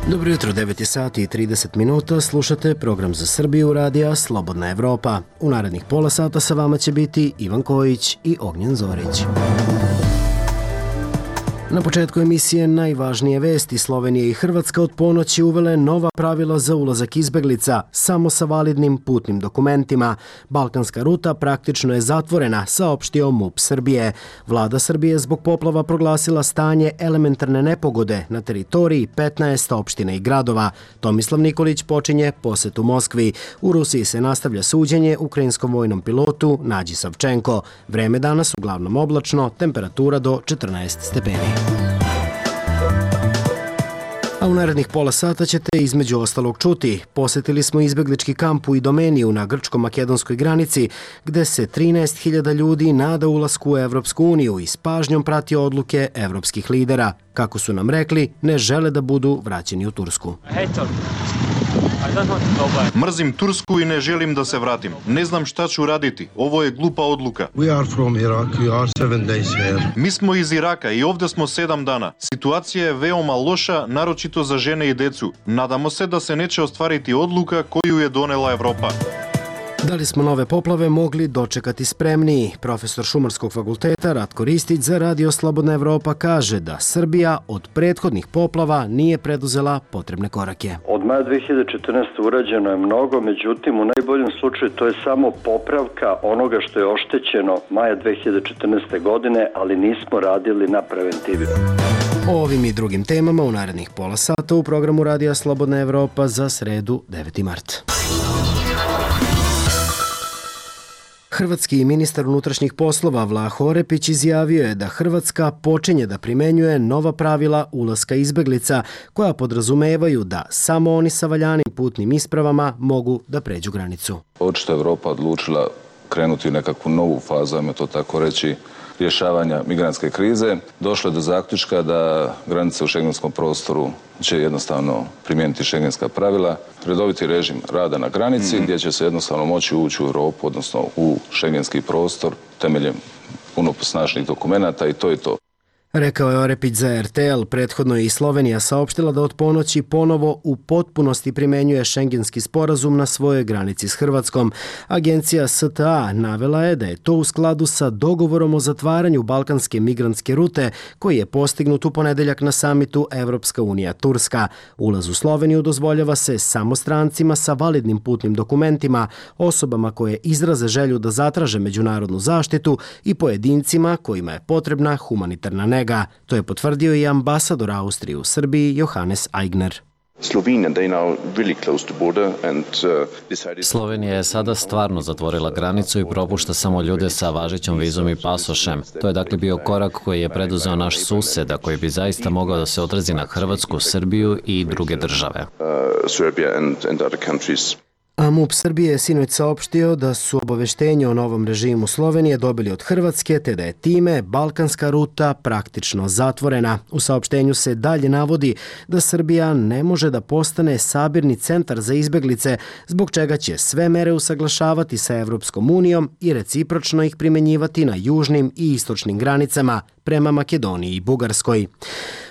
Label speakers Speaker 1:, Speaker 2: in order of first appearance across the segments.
Speaker 1: Dobro jutro, 9 sati i 30 minuta, slušate program za Srbiju radija Slobodna Evropa. U narednih pola sata sa vama će biti Ivan Kojić i Ognjen Zorić. Na početku emisije najvažnije vesti. Slovenija i Hrvatska od ponoći uvele nova pravila za ulazak izbeglica, samo sa validnim putnim dokumentima. Balkanska ruta praktično je zatvorena, saopštio MUP Srbije. Vlada Srbije zbog poplava proglasila stanje elementarne nepogode na teritoriji 15 opština i gradova. Tomislav Nikolić počinje posetu Moskvi. U Rusiji se nastavlja suđenje ukrajinskom vojnom pilotu Nađi Savčenko. Vreme danas uglavnom oblačno, temperatura do 14 stepeni. A u narednih pola sata ćete između ostalog čuti. Posetili smo izbeglički kamp u Idomeniju na grčko-makedonskoj granici, gde se 13.000 ljudi nada ulasku u Evropsku uniju i s pažnjom prati odluke evropskih lidera. Kako su nam rekli, ne žele da budu vraćeni u Tursku.
Speaker 2: Mrzim Tursku i ne želim da se vratim. Ne znam šta ću raditi. Ovo je glupa odluka. Mi smo iz Iraka i ovdje smo 7 dana. Situacija je veoma loša, naročito za žene i decu. Nadamo se da se neće ostvariti odluka koju je donela Evropa.
Speaker 1: Da li smo nove poplave mogli dočekati spremniji? Profesor Šumarskog fakulteta Ratko Ristić za Radio Slobodna Evropa kaže da Srbija od prethodnih poplava nije preduzela potrebne korake.
Speaker 3: Od maja 2014. urađeno je mnogo, međutim u najboljem slučaju to je samo popravka onoga što je oštećeno maja 2014. godine, ali nismo radili na preventivi.
Speaker 1: O ovim i drugim temama u narednih pola sata u programu Radija Slobodna Evropa za sredu 9. mart. Hrvatski ministar unutrašnjih poslova Vlah Orepić izjavio je da Hrvatska počinje da primenjuje nova pravila ulaska izbeglica koja podrazumevaju da samo oni sa valjanim putnim ispravama mogu da pređu granicu.
Speaker 4: Očito je Evropa odlučila krenuti u nekakvu novu fazu, ajmo to tako reći, rješavanja migrantske krize. Došlo je do zaključka da granice u šengenskom prostoru će jednostavno primijeniti šengenska pravila, redoviti režim rada na granici gdje će se jednostavno moći ući u Europu, odnosno u šengenski prostor temeljem puno snažnih dokumenata i to je to.
Speaker 1: Rekao je Orepić za RTL. Prethodno je i Slovenija saopštila da od ponoći ponovo u potpunosti primenjuje šengenski sporazum na svojoj granici s Hrvatskom. Agencija STA navela je da je to u skladu sa dogovorom o zatvaranju balkanske migrantske rute koji je postignut u ponedeljak na samitu Evropska unija Turska. Ulaz u Sloveniju dozvoljava se samo strancima sa validnim putnim dokumentima, osobama koje izraze želju da zatraže međunarodnu zaštitu i pojedincima kojima je potrebna humanitarna nega. To je potvrdio i ambasador Austrije u Srbiji Johannes Aigner.
Speaker 5: Slovenija je sada stvarno zatvorila granicu i propušta samo ljude sa važećom vizom i pasošem. To je dakle bio korak koji je preduzeo naš sused, a koji bi zaista mogao da se odrazi na Hrvatsku, Srbiju i druge države.
Speaker 1: A MUP Srbije je sinoć saopštio da su obaveštenje o novom režimu Slovenije dobili od Hrvatske, te da je time balkanska ruta praktično zatvorena. U saopštenju se dalje navodi da Srbija ne može da postane sabirni centar za izbeglice, zbog čega će sve mere usaglašavati sa Evropskom unijom i recipročno ih primenjivati na južnim i istočnim granicama prema Makedoniji i Bugarskoj.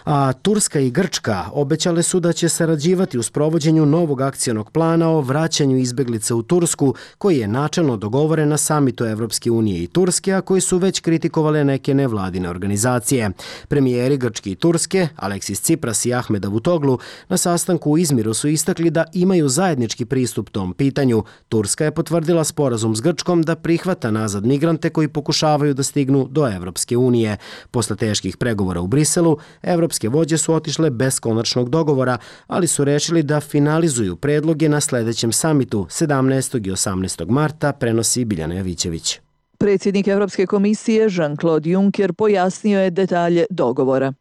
Speaker 1: A Turska i Grčka obećale su da će sarađivati u sprovođenju novog akcionog plana o vraćanju izbeglica u Tursku, koji je načelno dogovoren na samitu Evropske unije i Turske, a koji su već kritikovale neke nevladine organizacije. Premijeri Grčke i Turske, Aleksis Tsipras i Ahmed Davutoglu, na sastanku u Izmiru su istakli da imaju zajednički pristup tom pitanju. Turska je potvrdila sporazum s Grčkom da prihvata nazad migrante koji pokušavaju da stignu do Evropske unije. Posle teških pregovora u Briselu, evropske vođe su otišle bez konačnog dogovora, ali su rešili da finalizuju predloge na sledećem samitu 17. i 18. marta, prenosi Biljana Jovićević.
Speaker 6: Predsjednik Europske komisije Jean-Claude Juncker pojasnio je detalje dogovora.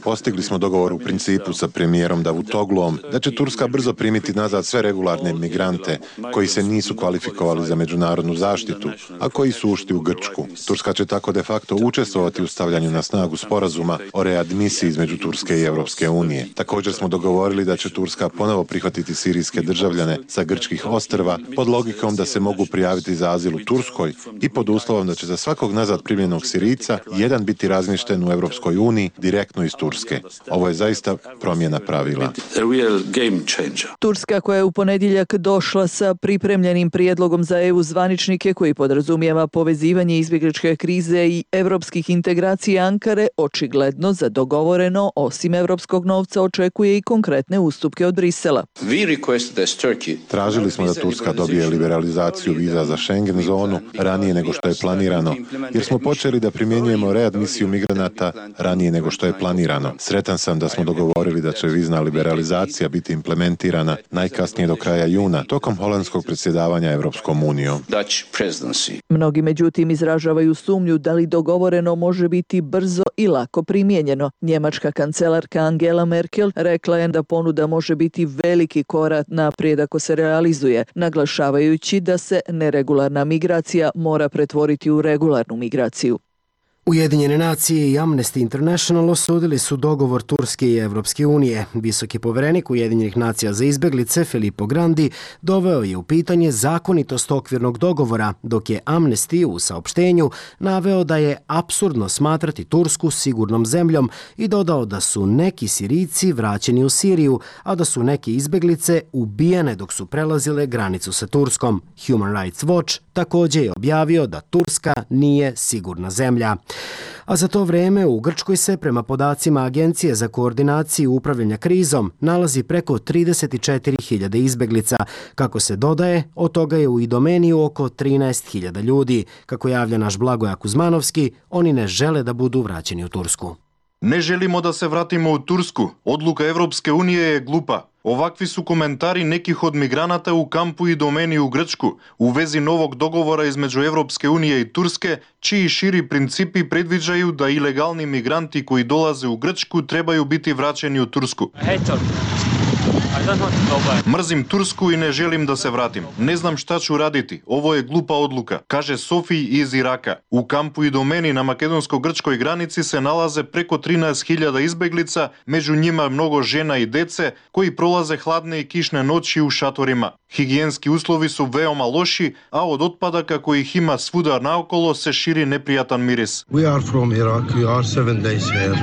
Speaker 7: Postigli smo dogovor u principu sa premijerom Davutoglom da će Turska brzo primiti nazad sve regularne migrante koji se nisu kvalifikovali za međunarodnu zaštitu, a koji su ušli u Grčku. Turska će tako de facto učestvovati u stavljanju na snagu sporazuma o readmisiji između Turske i Europske unije. Također smo dogovorili da će Turska ponovo prihvatiti sirijske državljane sa grčkih ostrva pod logikom da se mogu prijaviti za azil u Turskoj i pod uslovom da će za svakog nazad primljenog Sirijca jedan biti razmješten u Europskoj uniji direktno iz Turske. Ovo je zaista promjena pravila.
Speaker 6: Turska, koja je u ponedjeljak došla sa pripremljenim prijedlogom za EU zvaničnike koji podrazumijeva povezivanje izbjegličke krize i europskih integracija Ankare, očigledno za dogovoreno, osim europskog novca, očekuje i konkretne ustupke od Brisela.
Speaker 7: Tražili smo da Turska dobije liberalizaciju viza za Schengen zonu ranije nego što je planirano, jer smo počeli da primjenjujemo readmisiju migranata ranije nego što je planirano. Sretan sam da smo dogovorili da će vizna liberalizacija biti implementirana najkasnije do kraja juna, tokom holandskog predsjedavanja Europskom unijom.
Speaker 6: Mnogi međutim izražavaju sumnju da li dogovoreno može biti brzo i lako primijenjeno. Njemačka kancelarka Angela Merkel rekla je da ponuda može biti veliki korak naprijed ako se realizuje, naglašavajući da se neregularna migracija mora pretvoriti u regularnu migraciju.
Speaker 1: Ujedinjene nacije i Amnesty International osudili su dogovor Turske i Evropske unije. Visoki povjerenik Ujedinjenih nacija za izbjeglice Filippo Grandi doveo je u pitanje zakonitost okvirnog dogovora, dok je Amnesty u saopštenju naveo da je apsurdno smatrati Tursku sigurnom zemljom i dodao da su neki Sirijci vraćeni u Siriju, a da su neke izbjeglice ubijene dok su prelazile granicu sa Turskom. Human Rights Watch također je objavio da Turska nije sigurna zemlja. A za to vrijeme u Grčkoj se, prema podacima Agencije za koordinaciju upravljanja krizom, nalazi preko 34.000 izbjeglica. Kako se dodaje, od toga je u Idomeniju oko 13.000 ljudi. Kako javlja naš Blagoje Kuzmanovski, oni ne žele da budu vraćeni u Tursku.
Speaker 2: Ne želimo da se vratimo u Tursku. Odluka Evropske unije je glupa. Ovakvi su komentari nekih od migranata u kampu Idomeni u Grčku u vezi novog dogovora između Evropske unije i Turske, čiji širi principi predviđaju da ilegalni migranti koji dolaze u Grčku trebaju biti vraćeni u Tursku. Mrzim Tursku i ne želim da se vratim. Ne znam šta ću raditi. Ovo je glupa odluka, kaže Sofij iz Iraka. U kampu Idomeni na makedonsko-grčkoj granici se nalaze preko 13.000 izbeglica, među njima mnogo žena i dece koji prolaze hladne i kišne noći u šatorima. Higijenski uslovi su veoma loši, a od otpadaka kojih ima svuda naokolo se širi neprijatan miris.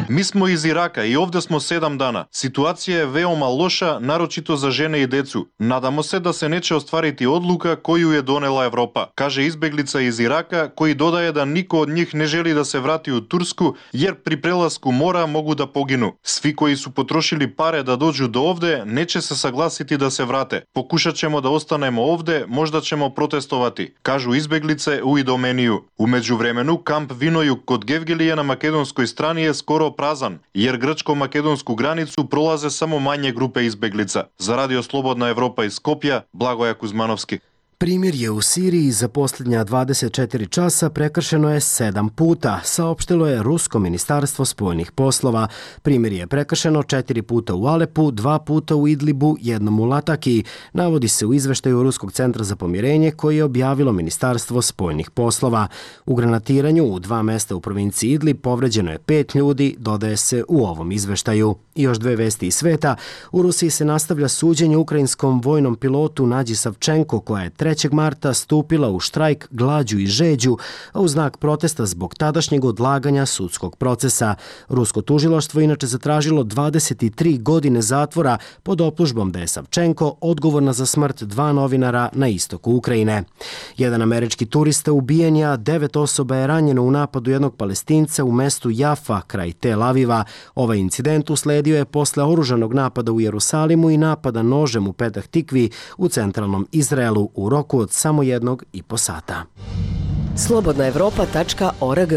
Speaker 2: Mi smo iz Iraka i ovdje smo 7 dana. Situacija je veoma loša, naročito za žene i decu. Nadamo se da se neće ostvariti odluka koju je donela Evropa, kaže izbeglica iz Iraka, koji dodaje da niko od njih ne želi da se vrati u Tursku, jer pri prelasku mora mogu da poginu. Svi koji su potrošili pare da dođu do ovde neće se saglasiti da se vrate. Pokušat ćemo da ostanemo ovde, možda ćemo protestovati, kažu izbeglice u Idomeniju. U međuvremenu, kamp Vinojug kod Gevgelije na makedonskoj strani je skoro prazan, jer grčko-makedonsku granicu prolaze samo manje grupe izbeglica. Za Radio Slobodna Evropa iz Skopja, Blagoje Kuzmanovski.
Speaker 1: Primirje u Siriji za posljednja 24 časa prekršeno je 7 puta, saopštilo je Rusko ministarstvo spoljnih poslova. Primirje je prekršeno 4 puta u Alepu, 2 puta u Idlibu, 1 u Lataki, navodi se u izveštaju Ruskog centra za pomirenje koji je objavilo Ministarstvo spoljnih poslova. U granatiranju u 2 mjesta u provinciji Idlib povređeno je 5 ljudi, dodaje se u ovom izveštaju. I još 2 vesti iz sveta. U Rusiji se nastavlja suđenje ukrajinskom vojnom pilotu Nađi Savčenko, koja je 3. marta stupila u štrajk, glađu i žeđu, a u znak protesta zbog tadašnjeg odlaganja sudskog procesa. Rusko tužilaštvo inače zatražilo 23 godine zatvora pod optužbom da je Savčenko odgovorna za smrt 2 novinara na istoku Ukrajine. Jedan američki turista ubijen je, a 9 osoba je ranjeno u napadu jednog Palestinca u mestu Jafa kraj Tel Aviva. Ovaj incident usledio je posle oružanog napada u Jerusalimu i napada nožem u Petah Tikvi u centralnom Izraelu u roku od samo 1,5 sata.
Speaker 8: Slobodnaevropa.org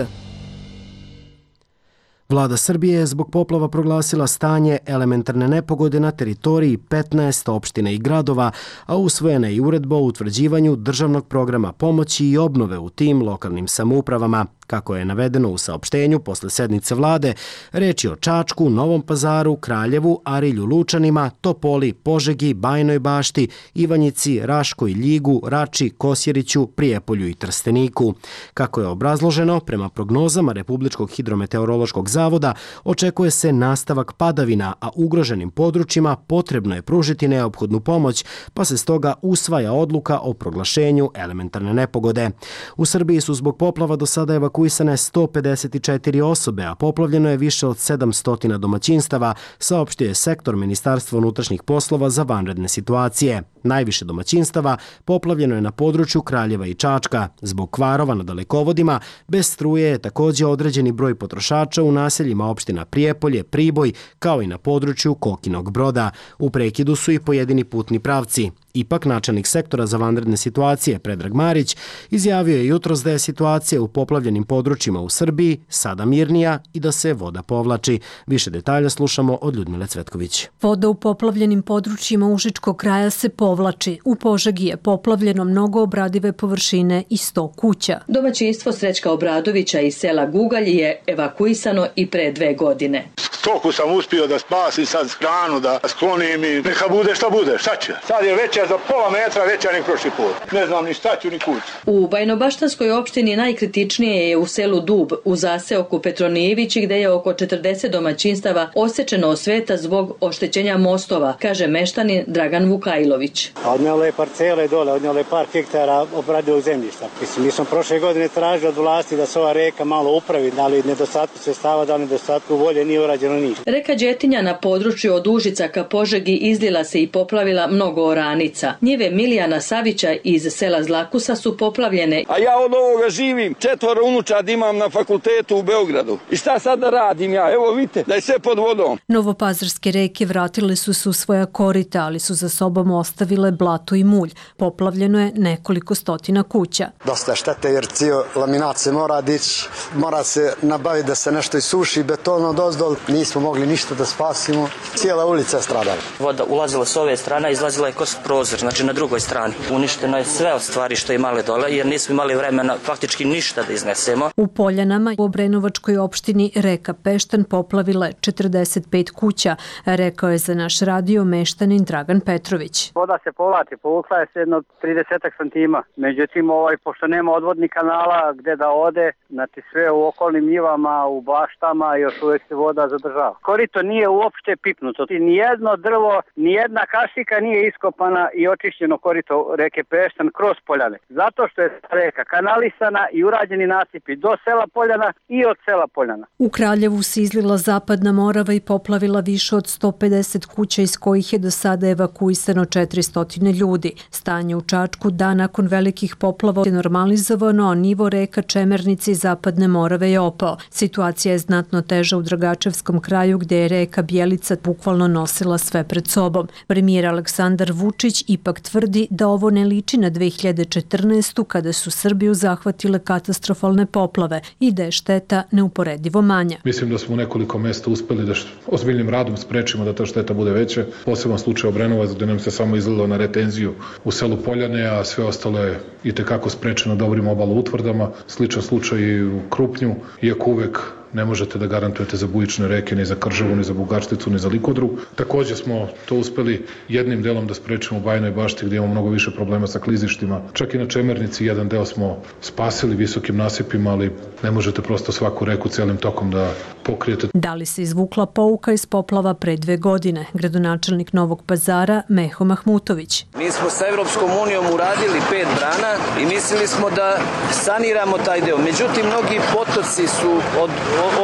Speaker 1: Vlada Srbije je zbog poplava proglasila stanje elementarne nepogode na teritoriji 15 opština i gradova, a usvojena je i uredba o utvrđivanju državnog programa pomoći i obnove u tim lokalnim samoupravama. Kako je navedeno u saopštenju posle sednice vlade, reč je o Čačku, Novom Pazaru, Kraljevu, Arilju, Lučanima, Topoli, Požegi, Bajinoj Bašti, Ivanjici, Raškoj, Ljigu, Rači, Kosjeriću, Prijepolju i Trsteniku. Kako je obrazloženo, prema prognozama Republičkog hidrometeorološkog zavoda, očekuje se nastavak padavina, a ugroženim područjima potrebno je pružiti neophodnu pomoć, pa se stoga usvaja odluka o proglašenju elementarne nepogode. U Srbiji su zbog poplava do sada evakuisane 154 osobe, a poplavljeno je više od 700 domaćinstava, saopštio je sektor Ministarstva unutrašnjih poslova za vanredne situacije. Najviše domaćinstava poplavljeno je na području Kraljeva i Čačka. Zbog kvarova na dalekovodima, bez struje je također određeni broj potrošača u naseljima opština Prijepolje, Priboj, kao i na području Kokinog Broda. U prekidu su i pojedini putni pravci. Ipak, načelnik sektora za vanredne situacije Predrag Marić izjavio je jutros da je situacija u poplavljenim područjima u Srbiji sada mirnija i da se voda povlači. Više detalja slušamo od Ljudmile Cvetković.
Speaker 8: Voda u poplavljenim područjima Užičkog kraja se povlači. U Požegi je poplavljeno mnogo obradive površine i 100 kuća.
Speaker 9: Domaćinstvo Srećka Obradovića iz sela Gugalj je evakuisano i pre 2 godine.
Speaker 10: Stoku sam uspio da spasim, sad hranu da sklonim i neka bude šta bude, šta će. Sad je veća za pola metra, veća nek prošli put. Ne znam ni šta ću ni kuću.
Speaker 9: U Bajnobaštanskoj opštini najkritičnije je u selu Dub, u zaseoku Petronijevići, gde je oko 40 domaćinstava osečeno od sveta zbog oštećenja mostova, kaže meštanin Dragan Vukajlović.
Speaker 11: Odnijelo je parcele dole, odnijelo je par hektara obradivog zemljišta. Mi smo prošle godine tražili od vlasti da se ova reka malo upravi, da li nedostatku sredstava, da li nedostatku volje, nije urađeno ništa.
Speaker 9: Reka Đetinja na području od Užica ka Požegi izlila se i poplavila mnogo oranica. Njive Milijana Savića iz sela Zlakusa su poplavljene.
Speaker 12: A ja od ovoga živim, 4 unučad imam na fakultetu u Beogradu. I šta sad da radim ja? Evo vidite, da je sve pod vodom.
Speaker 8: Novopazarske reke vratile su se u svoja korita, ali su za sobom ostavile blato i mulj. Poplavljeno je nekoliko stotina kuća.
Speaker 13: Dosta štete jer cijel laminat se mora dići, mora se nabaviti da se nešto isuši, beton dozdol. Nismo mogli ništa da spasimo. Cijela ulica je stradala.
Speaker 14: Voda ulazila s ove strane, izlazila je kroz prozor, znači na drugoj strani. Uništeno je sve od stvari što imali dole, jer nismo imali vremena faktički ništa da iznesemo.
Speaker 8: U Poljanama u Obrenovačkoj opštini reka Peštan poplavila je 45 kuća, rekao je za naš radio meštanin Dragan Petrović.
Speaker 15: Voda se povlači, povukla je se jedno 30 santima. Međutim, pošto nema odvodnih kanala gde da ode, znači sve u okolnim njivama, u baštama, još uvijek se voda zadržava. Korito nije uopšte pipnuto. Nijedno drvo, nijedna kašika nije iskopana i očišćeno korito reke Peštan kroz Poljane. Zato što je reka kanalisana i urađeni nasipi do sela Poljana i od sela Poljana.
Speaker 8: U Kraljevu se izlila Zapadna Morava i poplavila više od 150 kuća, iz kojih je do sada evakuisano 400 ljudi. Stanje u Čačku dan nakon velikih poplava je normalizovano, a nivo reka Čemernice i Zapadne Morave je opao. Situacija je znatno teža u Dragačevskom kraju, gde je reka Bjelica bukvalno nosila sve pred sobom. Premijer Aleksandar Vučić ipak tvrdi da ovo ne liči na 2014. kada su Srbiju zahvatile katastrofalne poplave i da je šteta neuporedivo manja.
Speaker 16: Mislim da smo u nekoliko mesta uspeli da ozbiljnim radom sprečimo da ta šteta bude veća. Poseban slučaj Obrenovac, gde nam se samo izlilo na retenziju u selu Poljane, a sve ostalo je itekako sprečeno dobrim obaloutvrdama. Sličan slučaj i u Krupnju, iako uvek ne možete da garantujete za bujične reke, ni za Kržavu, ni za Bugaršticu, ni za Likodru. Također smo to uspeli jednim delom da sprečimo u Bajinoj Bašti, gdje imamo mnogo više problema sa klizištima. Čak i na Čemernici jedan deo smo spasili visokim nasipima, ali ne možete prosto svaku reku celim tokom da pokrijete.
Speaker 8: Da li se izvukla pouka iz poplava pre 2 godine? Gradonačelnik Novog Pazara Meho Mahmutović.
Speaker 12: Mi smo sa Evropskom unijom uradili 5 brana i mislili smo da saniramo taj deo. Međutim, mnogi potoci su od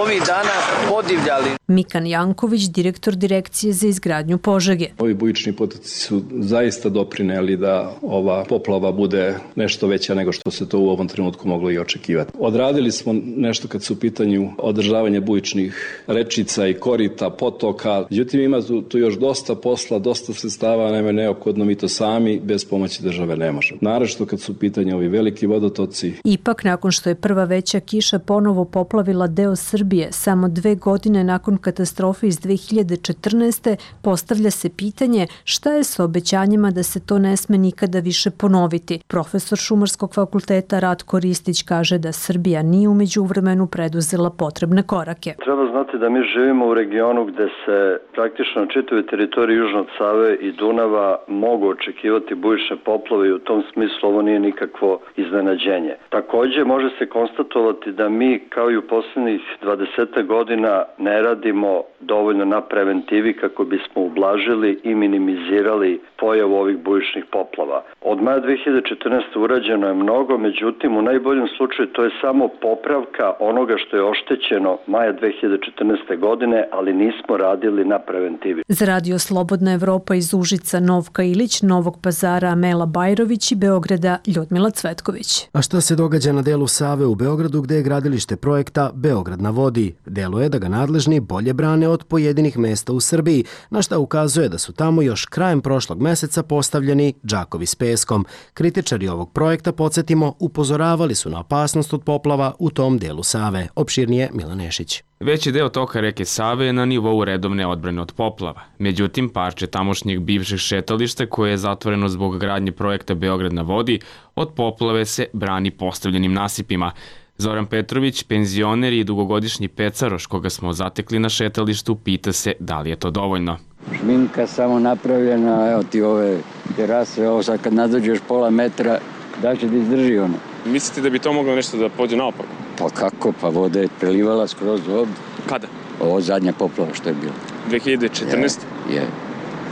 Speaker 12: ovih dana podivljali.
Speaker 8: Mikan Janković, direktor Direkcije za izgradnju Požege.
Speaker 17: Ovi bujični potoci su zaista doprineli da ova poplava bude nešto veća nego što se to u ovom trenutku moglo i očekivati. Odradili smo nešto kad su u pitanju održavanje bujičnih običnih rečica i korita, potoka. Međutim, ima tu još dosta posla, dosta sredstava, nema neophodno, mi to sami bez pomoći države ne možemo. Naravno kad su u pitanju ovi veliki vodotoci.
Speaker 8: Ipak, nakon što je prva veća kiša ponovo poplavila deo Srbije, samo 2 godine nakon katastrofe iz 2014. postavlja se pitanje šta je sa obećanjima da se to ne sme nikada više ponoviti. Profesor Šumarskog fakulteta Ratko Ristić kaže da Srbija nije u međuvremenu preduzela potrebne korake.
Speaker 3: Treba znati da mi živimo u regionu gde se praktično na čitavoj teritoriji južno od Save i Dunava mogu očekivati bujične poplave i u tom smislu ovo nije nikakvo iznenađenje. Takođe može se konstatovati da mi kao i u poslednjih 20 godina ne radimo dovoljno na preventivi kako bismo ublažili i minimizirali pojavu ovih bujičnih poplava. Od maja 2014. urađeno je mnogo, međutim u najboljem slučaju to je samo popravka onoga što je oštećeno maja 2014. godine, ali nismo radili na preventivi.
Speaker 8: Za Radio Slobodna Evropa iz Užica Novka Ilić, Novog Pazara Amela Bajrović i Beograda Ljudmila Cvetković.
Speaker 1: A šta se događa na delu Save u Beogradu gde je gradilište projekta Beograd na vodi? Deluje da ga nadležni bolje brane od pojedinih mesta u Srbiji, na šta ukazuje da su tamo još krajem prošlog meseca postavljeni džakovi s peskom. Kritičari ovog projekta, podsjetimo, upozoravali su na opasnost od poplava u tom delu Save. Opširnije Milan Nešić.
Speaker 18: Veći deo toka reke Save je na nivou redovne odbrane od poplava. Međutim, parče tamošnjeg bivšeg šetališta koje je zatvoreno zbog gradnje projekta Beograd na vodi, od poplave se brani postavljenim nasipima. Zoran Petrović, penzioner i dugogodišnji pecaroš koga smo zatekli na šetalištu, pita se da li je to dovoljno.
Speaker 19: Šminka samo napravljena, evo ti ove terase, ovo sad kad nadođeš pola metra, da će da izdrži ono.
Speaker 18: Mislite da bi to moglo nešto da pođe naopako?
Speaker 19: Pa kako, pa voda je prelivala skroz ovdje.
Speaker 18: Kada?
Speaker 19: Ovo zadnja poplava što je bilo.
Speaker 18: 2014?
Speaker 19: Je.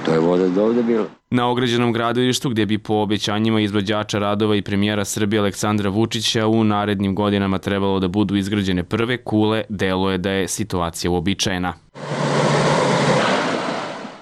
Speaker 19: To je voda do ovdje bilo.
Speaker 18: Na ograđenom gradilištu gdje bi po obećanjima izvođača radova i premijera Srbije Aleksandra Vučića u narednim godinama trebalo da budu izgrađene prve kule, deluje da je situacija uobičajena.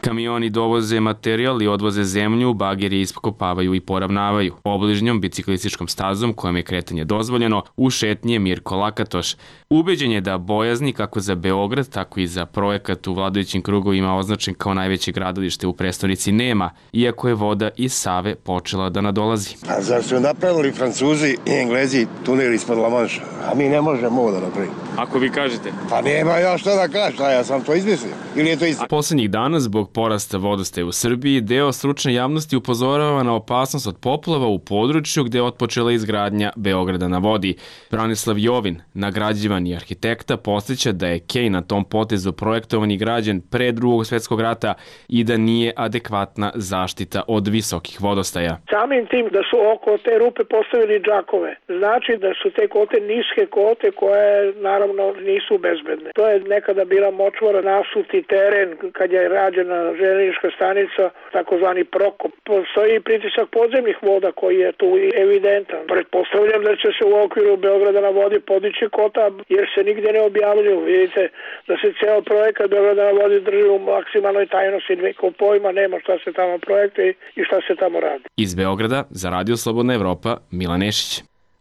Speaker 18: Kamioni dovoze materijal i odvoze zemlju, bageri iskopavaju i poravnavaju. Obližnjom biciklističkom stazom kojom je kretanje dozvoljeno, u šetnji je Mirko Lakatoš. Ubeđen je da bojazni kako za Beograd, tako i za projekat u vladajućim krugovima označen kao najveće gradilište u prestonici nema, iako je voda iz Save počela da nadolazi.
Speaker 20: A zar su napravili Francuzi i Englezi tunel ispod La Manša? A mi ne možemo ovo da napravimo.
Speaker 18: Ako vi kažete?
Speaker 20: Pa nema ja što da kažem, ja sam to izmislio. Ili je to isto?
Speaker 18: Poslednjih dana, zbog porasta vodostaja u Srbiji, deo stručne javnosti upozorava na opasnost od poplava u području gde je otpočela izgradnja Beograda na vodi. Branislav Jovin, nagrađivan i arhitekta, podsjeća da je Kej na tom potezu projektovan i građen pre Drugog svjetskog rata i da nije adekvatna zaštita od visokih vodostaja.
Speaker 21: Samim tim da su oko te rupe postavili džakove, znači da su te kote niske kote koje naravno nisu bezbedne. To je nekada bila močvara, nasuti teren kad je rađena železnička stanica, takozvani Prokop. Postoji pritisak podzemnih voda koji je tu evidentan. Pretpostavljam da će se u okviru Beograda na vodi podići kota jer se nigde ne objavljuju. Vidite da se ceo projekat Beograda na vodi drži u maksimalnoj tajnosti. Niko pojma nema šta se tamo projekte i šta se tamo radi.
Speaker 18: Iz Beograda za Radio Slobodna Evropa, Milan Nešić.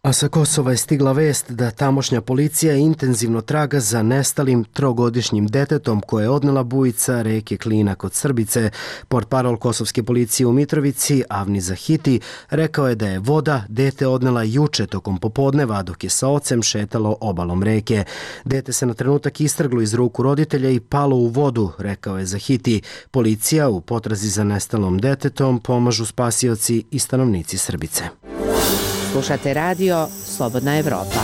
Speaker 1: A sa Kosova je stigla vest da tamošnja policija intenzivno traga za nestalim 3-godišnjim detetom koje je odnela bujica reke Klina kod Srbice. Portparol kosovske policije u Mitrovici, Avni Zahiti, rekao je da je voda dete odnela juče tokom popodneva dok je sa ocem šetalo obalom reke. Dete se na trenutak istrglo iz ruku roditelja i palo u vodu, rekao je Zahiti. Policija u potrazi za nestalom detetom pomažu spasioci i stanovnici Srbice.
Speaker 22: Slušate radio Slobodna Evropa.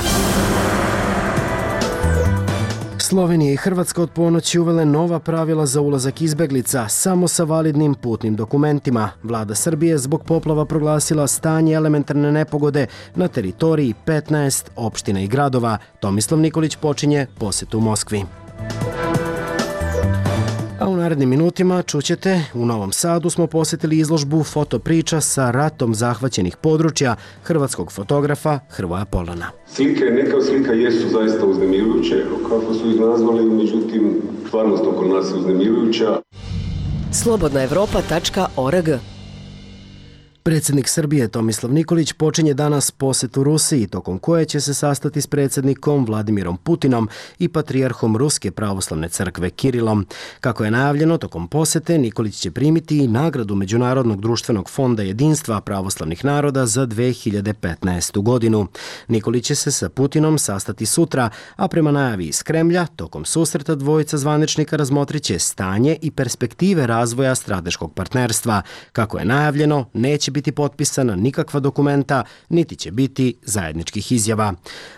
Speaker 1: Slovenija i Hrvatska od ponoći uvele nova pravila za ulazak izbeglica samo sa validnim putnim dokumentima. Vlada Srbije zbog poplava proglasila stanje elementarne nepogode na teritoriji 15 opština i gradova. Tomislav Nikolić počinje posetu u Moskvi. A u narednim minutima čućete, u Novom Sadu smo posjetili izložbu fotopriča sa ratom zahvaćenih područja hrvatskog fotografa Hrvoja Polana.
Speaker 23: Slike, neka slika jesu zaista uznemirujuće, kako su ih nazvali, međutim, stvarnost oko nas je uznemirujuća.
Speaker 22: Slobodnaevropa.org
Speaker 1: Predsjednik Srbije Tomislav Nikolić počinje danas posetu Rusiji, tokom koje će se sastati s predsjednikom Vladimirom Putinom i patrijarhom Ruske pravoslavne crkve Kirilom. Kako je najavljeno, tokom posete Nikolić će primiti i nagradu Međunarodnog društvenog fonda jedinstva pravoslavnih naroda za 2015. godinu. Nikolić će se sa Putinom sastati sutra, a prema najavi iz Kremlja, tokom susreta dvojica zvaničnika razmotrit će stanje i perspektive razvoja strateškog partnerstva. Kako je najavljeno, neće biti potpisana nikakva dokumenta, niti će biti zajedničkih izjava.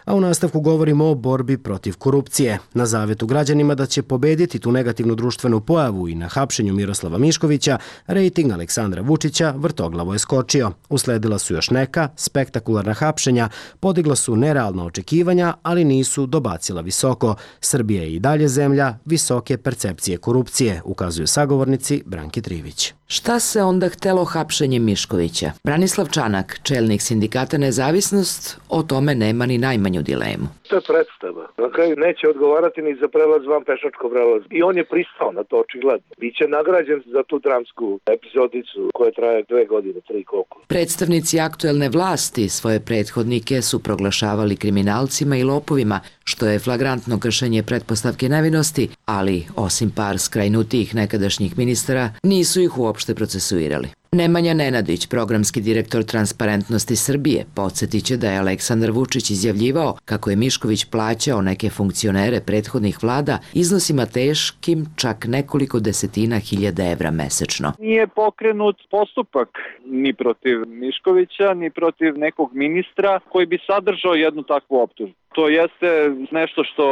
Speaker 1: A u nastavku govorimo o borbi protiv korupcije. Na zavjetu građanima da će pobediti tu negativnu društvenu pojavu i na hapšenju Miroslava Miškovića, rejting Aleksandra Vučića vrtoglavo je skočio. Usledila su još neka spektakularna hapšenja, podigla su nerealna očekivanja, ali nisu dobacila visoko. Srbija je i dalje zemlja visoke percepcije korupcije, ukazuju sagovornici Branki Trivić.
Speaker 4: Šta se onda htelo hapšenjem Miškovića? Branislav Čanak, čelnik sindikata Nezavisnost, o tome nema ni najmanju dilemu.
Speaker 5: To je predstava. Na kraju neće odgovarati ni za prelaz van pešačkog prelaza. I on je pristao na to očigledno. Biće nagrađen za tu dramsku epizodicu koja traje 2 godine, 3 koliko.
Speaker 4: Predstavnici aktuelne vlasti svoje prethodnike su proglašavali kriminalcima i lopovima, što je flagrantno kršenje pretpostavke nevinosti, ali osim par skrajnutijih nekadašnjih ministara, nisu ih uopšte procesuirali. Nemanja Nenadić, programski direktor Transparentnosti Srbije, podsjetiće da je Aleksandar Vučić izjavljivao kako je Mišković plaćao neke funkcionere prethodnih vlada iznosima teškim čak nekoliko desetina hiljada evra mesečno.
Speaker 7: Nije pokrenut postupak ni protiv Miškovića, ni protiv nekog ministra koji bi sadržao jednu takvu optužbu. To jeste nešto što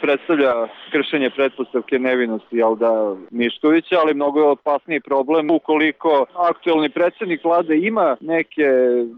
Speaker 7: predstavlja kršenje pretpostavke nevinosti Miškovića, ali mnogo je opasniji problem ukoliko aktuelni predsjednik vlade ima neke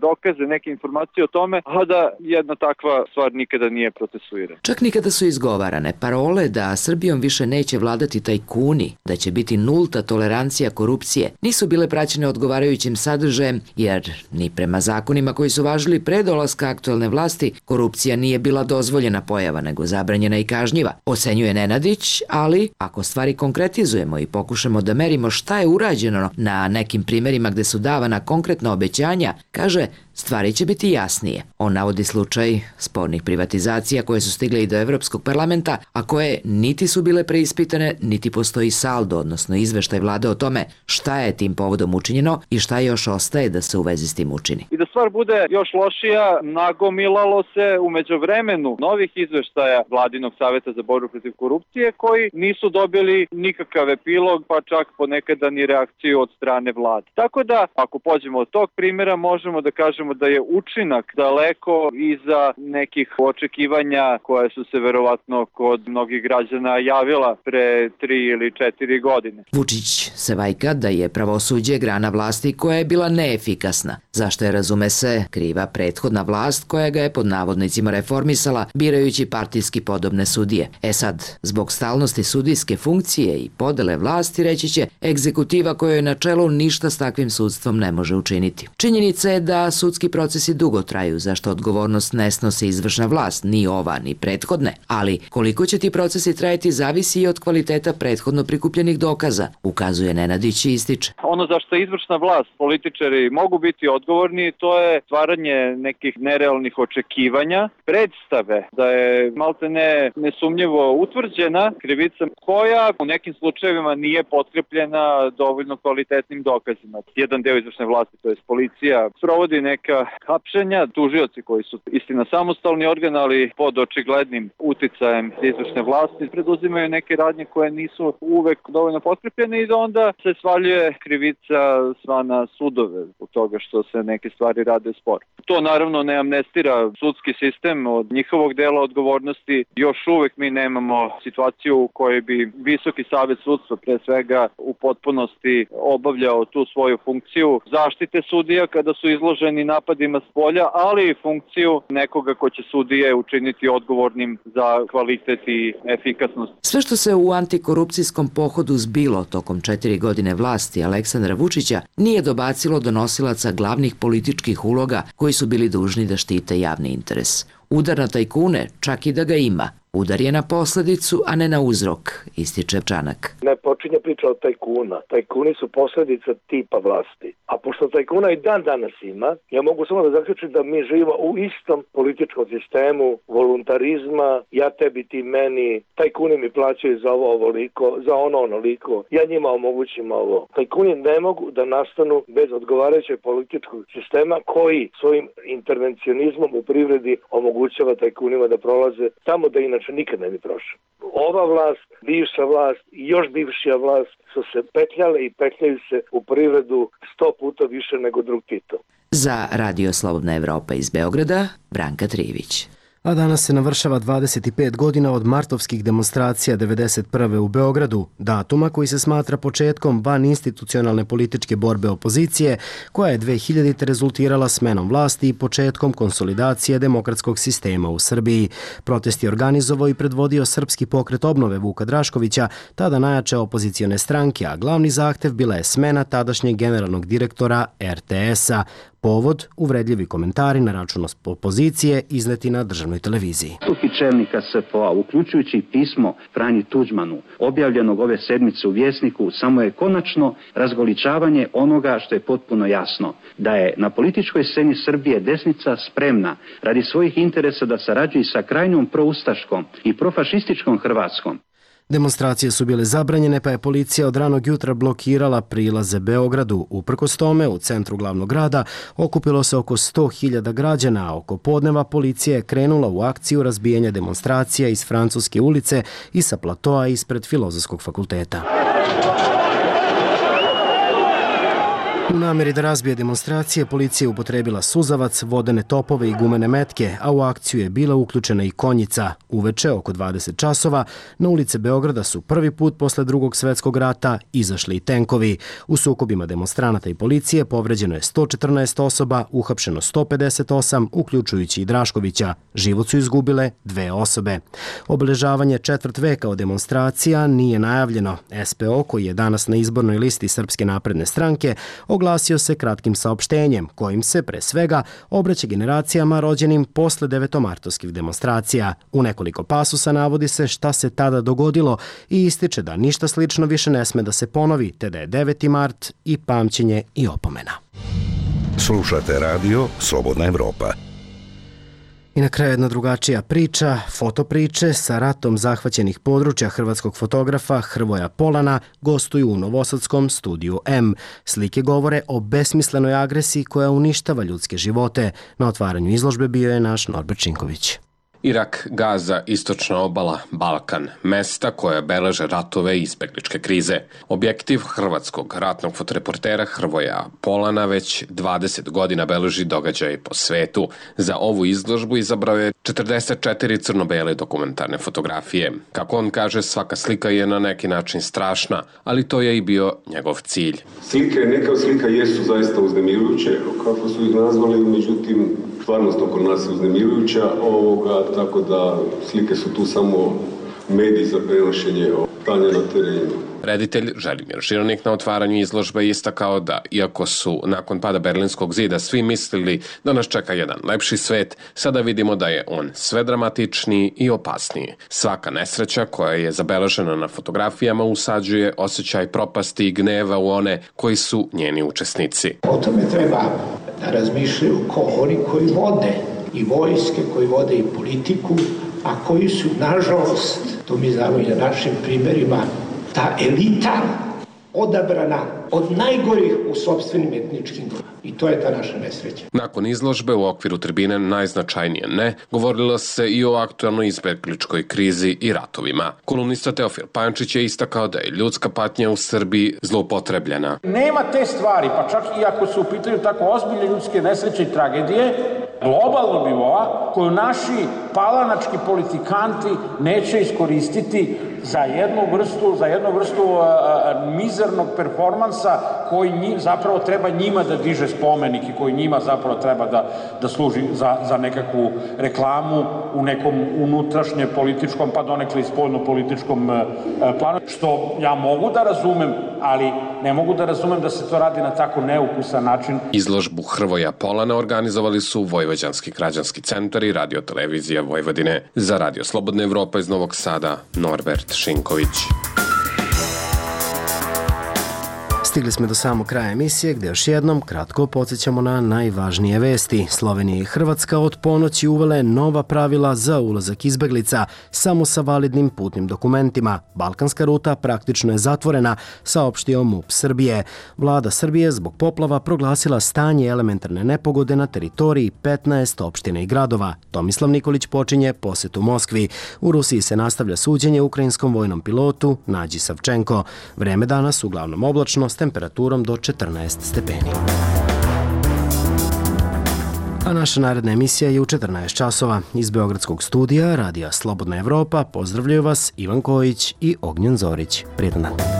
Speaker 7: dokaze, neke informacije o tome, a da jedna takva stvar nikada nije procesuirana.
Speaker 4: Čak nikada su izgovarane parole da Srbijom više neće vladati tajkuni, da će biti nulta tolerancija korupcije, nisu bile praćene odgovarajućim sadržajem, jer ni prema zakonima koji su važili pre dolaska aktuelne vlasti, korupcija nije bila dozvoljena pojava, nego zabranjena i kažnjiva, ocenjuje Nenadić, ali ako stvari konkretizujemo i pokušamo da merimo šta je urađeno na nekim primjerima gde su davana konkretna obećanja, kaže, stvari će biti jasnije. On navodi slučaj spornih privatizacija koje su stigle i do Evropskog parlamenta, a koje niti su bile preispitane, niti postoji saldo, odnosno izveštaj vlade o tome šta je tim povodom učinjeno i šta još ostaje da se u vezi s tim učini.
Speaker 7: I da stvar bude još lošija, nagomilalo se u međuvremenu novih izveštaja Vladinog saveta za borbu protiv korupcije koji nisu dobili nikakav epilog, pa čak ponekada ni reakciju od strane vlade. Tako da, ako pođemo od tog primjera, možemo da kažemo da je učinak daleko iza nekih očekivanja koje su se verovatno kod mnogih građana javila pre 3 ili 4 godine.
Speaker 4: Vučić se vajka da je pravosuđe grana vlasti koja je bila neefikasna, zašto je, razume se, kriva prethodna vlast koja ga je pod navodnicima reformisala, birajući partijski podobne sudije. Sad, zbog stalnosti sudijske funkcije i podele vlasti, reći će, egzekutiva koja je na čelu ništa s takvim sudstvom ne može učiniti. Činjenica je da sudski procesi dugo traju, zašto odgovornost ne snosi izvršna vlast, ni ova, ni prethodne, ali koliko će ti procesi trajati zavisi i od kvaliteta prethodno prikupljenih dokaza, ukazuje Nenadić i ističe.
Speaker 7: Ono za što izvršna vlast, političari mogu biti odgovorni, to je stvaranje nekih nerealnih očekivanja, predstave da je maltene nesumnjivo utvrđena krivica koja u nekim slučajevima nije potkrepljena dovoljno kvalitetnim dokazima. Jedan deo izvršne vlasti, to je policija, provodi neka hapšenja, tužioci koji su istina samostalni organ, ali pod očiglednim uticajem izvršne vlasti preduzimaju neke radnje koje nisu uvek dovoljno potkrepljene i da onda se svaljuje krivica sva na sudove zbog toga što se neke stvari rade sporo. To naravno ne amnestira sudski sistem od njihovog dela odgovornosti. Još uvek mi nemamo situaciju u kojoj bi Visoki savet sudstva pre svega u potpunosti obavljao tu svoju funkciju zaštite sudija kada su izloženi napadima s polja, ali i funkciju nekoga ko će sudije učiniti odgovornim za kvalitet i efikasnost.
Speaker 4: Sve što se u antikorupcijskom pohodu zbilo tokom 4 godine vlasti Aleksandra Vučića nije dobacilo do nosilaca glavnih političkih uloga koji su bili dužni da štite javni interes. Udar na tajkune, čak i da ga ima, Udar je na posledicu, a ne na uzrok, ističe Čanak.
Speaker 5: Ne počinje priča od tajkuna. Tajkuni su posledica tipa vlasti. A pošto tajkuna i dan danas ima, ja mogu samo da zaključim da mi živimo u istom političkom sistemu voluntarizma, ja tebi, ti meni, tajkuni mi plaćaju za ovo ovoliko, za ono onoliko, ja njima omogućim ovo. Tajkuni ne mogu da nastanu bez odgovarajućeg političkog sistema koji svojim intervencionizmom u privredi omogućava tajkunima da prolaze tamo da inače nikad ne bi prošao. Ova vlast, bivša vlast i još bivšija vlast su se petljale i petljaju se u privredu 100 puta više nego drug Tito.
Speaker 4: Za Radio Slobodna Evropa iz Beograda, Branka Trivić.
Speaker 1: A danas se navršava 25 godina od martovskih demonstracija 1991. u Beogradu, datuma koji se smatra početkom vaninstitucionalne političke borbe opozicije, koja je 2000. rezultirala smenom vlasti i početkom konsolidacije demokratskog sistema u Srbiji. Protest je organizovao i predvodio Srpski pokret obnove Vuka Draškovića, tada najjače opozicione stranke, a glavni zahtev bila je smena tadašnjeg generalnog direktora RTS-a. Povod, uvredljivi komentari na račun opozicije izneti na državnoj televiziji.
Speaker 2: Stupi čelnika SPO-a, uključujući pismo Franji Tuđmanu, objavljenog ove sedmice u Vjesniku, samo je konačno razgoličavanje onoga što je potpuno jasno, da je na političkoj sceni Srbije desnica spremna radi svojih interesa da sarađuje sa krajnjom proustaškom i profašističkom Hrvatskom.
Speaker 1: Demonstracije su bile zabranjene, pa je policija od ranog jutra blokirala prilaze Beogradu. Uprkos tome, u centru glavnog grada okupilo se oko 100.000 građana, a oko podneva policija je krenula u akciju razbijanja demonstracija iz Francuske ulice i sa platoa ispred Filozofskog fakulteta. U namjeri da razbije demonstracije, policija je upotrebila suzavac, vodene topove i gumene metke, a u akciju je bila uključena i konjica. Uveče, oko 20 časova, na ulice Beograda su prvi put posle Drugog svjetskog rata izašli i tenkovi. U sukobima demonstranata i policije povređeno je 114 osoba, uhapšeno 158, uključujući i Draškovića. Život su izgubile 2 osobe. Obeležavanje četvrt veka od demonstracija nije najavljeno. SPO, koji je danas na izbornoj listi Srpske napredne stranke, oglasio se kratkim saopštenjem, kojim se, pre svega, obraća generacijama rođenim posle devetomartovskih demonstracija. U nekoliko pasusa navodi se šta se tada dogodilo i ističe da ništa slično više ne sme da se ponovi, te da je 9. mart i pamćenje i opomena.
Speaker 6: Slušate radio Slobodna Evropa.
Speaker 1: I na kraju jedna drugačija priča, fotopriče sa ratom zahvaćenih područja hrvatskog fotografa Hrvoja Polana gostuju u novosadskom studiju M. Slike govore o besmislenoj agresiji koja uništava ljudske živote. Na otvaranju izložbe bio je naš Norbert Činković.
Speaker 10: Irak, Gaza, istočna obala, Balkan, mesta koje beleže ratove i izbegličke krize. Objektiv hrvatskog ratnog fotoreportera Hrvoja Polana već 20 godina beleži događaje po svetu. Za ovu izložbu izabrao je 44 crno-bele dokumentarne fotografije. Kako on kaže, svaka slika je na neki način strašna, ali to je i bio njegov cilj.
Speaker 23: Slike, neka slika jesu zaista uznemirujuće, kako su ih nazvali, međutim, stvarnost oko nas je uznemirujuća, tako da slike su tu samo mediji za prenošenje stanja na terenu.
Speaker 10: Reditelj Želimir Žironik na otvaranju izložbe istakao da, iako su nakon pada Berlinskog zida svi mislili da nas čeka jedan lepši svet, sada vidimo da je on sve dramatičniji i opasniji. Svaka nesreća koja je zabeležena na fotografijama usađuje osjećaj propasti i gneva u one koji su njeni učesnici.
Speaker 24: O tome treba da razmišljaju oni koji vode i vojske, koji vode i politiku, a koji su, nažalost, to mi znamo i na našim primjerima, ta elita odabrana od najgorih u sopstvenim etničkim grupama. I to je ta naša nesreća.
Speaker 10: Nakon izložbe u okviru tribine najznačajnije ne, govorilo se i o aktualnoj izbegličkoj krizi i ratovima. Kolumnista Teofil Pančić je istakao da je ljudska patnja u Srbiji zloupotrebljena.
Speaker 25: Nema te stvari, pa čak i ako se u pitanju tako ozbiljne ljudske nesreće i tragedije, globalnog nivoa, koju naši palanački politikanti neće iskoristiti za jednu vrstu mizernog performansa koji zapravo treba njima da diže spomenik i koji njima zapravo treba da služi za nekakvu reklamu u nekom unutrašnje političkom, pa donekle i spoljno političkom planu, što ja mogu da razumem, ali ne mogu da razumem da se to radi na tako neukusan način.
Speaker 10: Izložbu Hrvoja Polana organizovali su Vojvođanski građanski centar i Radio-televizija Vojvodine. Za Radio Slobodna Evropa iz Novog Sada, Norbert Šinković.
Speaker 1: Stigli smo do samog kraja emisije gde još jednom kratko podsjećamo na najvažnije vesti. Slovenija i Hrvatska od ponoći uvele nova pravila za ulazak izbeglica samo sa validnim putnim dokumentima. Balkanska ruta praktično je zatvorena, saopštio MUP Srbije. Vlada Srbije zbog poplava proglasila stanje elementarne nepogode na teritoriji 15 opština i gradova. Tomislav Nikolić počinje posetu Moskvi. U Rusiji se nastavlja suđenje ukrajinskom vojnom pilotu Nađi Savčenko. Vreme danas uglavnom oblačno s temperaturom do 14 stepeni. A naša naredna emisija je u 14 časova. Iz Beogradskog studija Radija Slobodna Evropa pozdravljaju vas Ivan Kojić i Ognjen Zorić. Prijetan dan.